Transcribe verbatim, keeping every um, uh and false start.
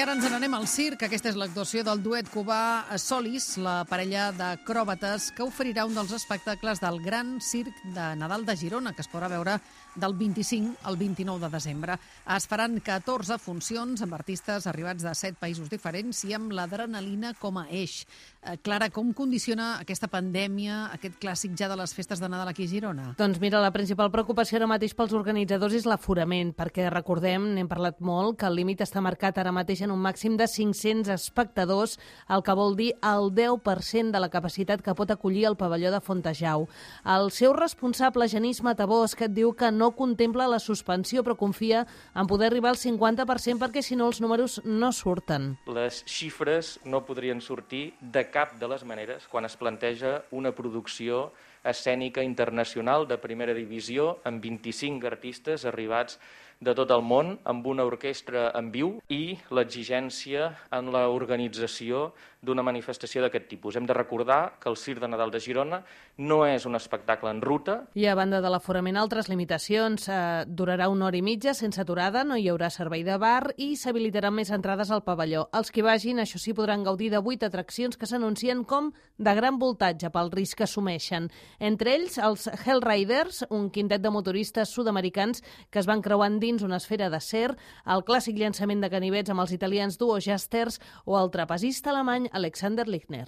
I ara ens n'anem al circ. Aquesta és l'actuació del duet cubà Solis, la parella d'acròbates que oferirà un dels espectacles del Gran Circ de Nadal de Girona, que es podrà veure del vint-i-cinc al vint-i-nou de desembre. Es faran catorze funcions amb artistes arribats de set països diferents i amb l'adrenalina com a eix. Eh, Clara, com condiciona aquesta pandèmia, aquest clàssic ja de les festes de Nadal aquí a Girona? Doncs mira, la principal preocupació ara mateix pels organitzadors és l'aforament, perquè recordem, n'hem parlat molt, que el límit està marcat ara mateix en un màxim de cinc-cents espectadors, el que vol dir el deu per cent de la capacitat que pot acollir el pavelló de Fontejau. El seu responsable, Genís Matabosc, diu que no contempla la suspensió, però confia en poder arribar al cinquanta per cent perquè si no els números no surten. Les xifres no podrien sortir de cap de les maneres quan es planteja una producció escènica internacional de primera divisió amb vint-i-cinc artistes arribats de tot el món, amb una orquestra en viu i l'exigència en l'organització d'una manifestació d'aquest tipus. Hem de recordar que el Circ de Nadal de Girona no és un espectacle en ruta. I a banda de l'aforament, altres limitacions. Eh, durarà una hora i mitja sense aturada, no hi haurà servei de bar i s'habilitaran més entrades al pavelló. Els que vagin, això sí, podran gaudir de vuit atraccions que s'anuncien com de gran voltatge pel risc que assumeixen. Entre ells, els Hell Riders, un quintet de motoristes sud-americans que es van creuant dins una esfera d'acer, el clàssic llançament de ganivets amb els italians Duo Jasters o el trapezista alemany Alexander Lichtner.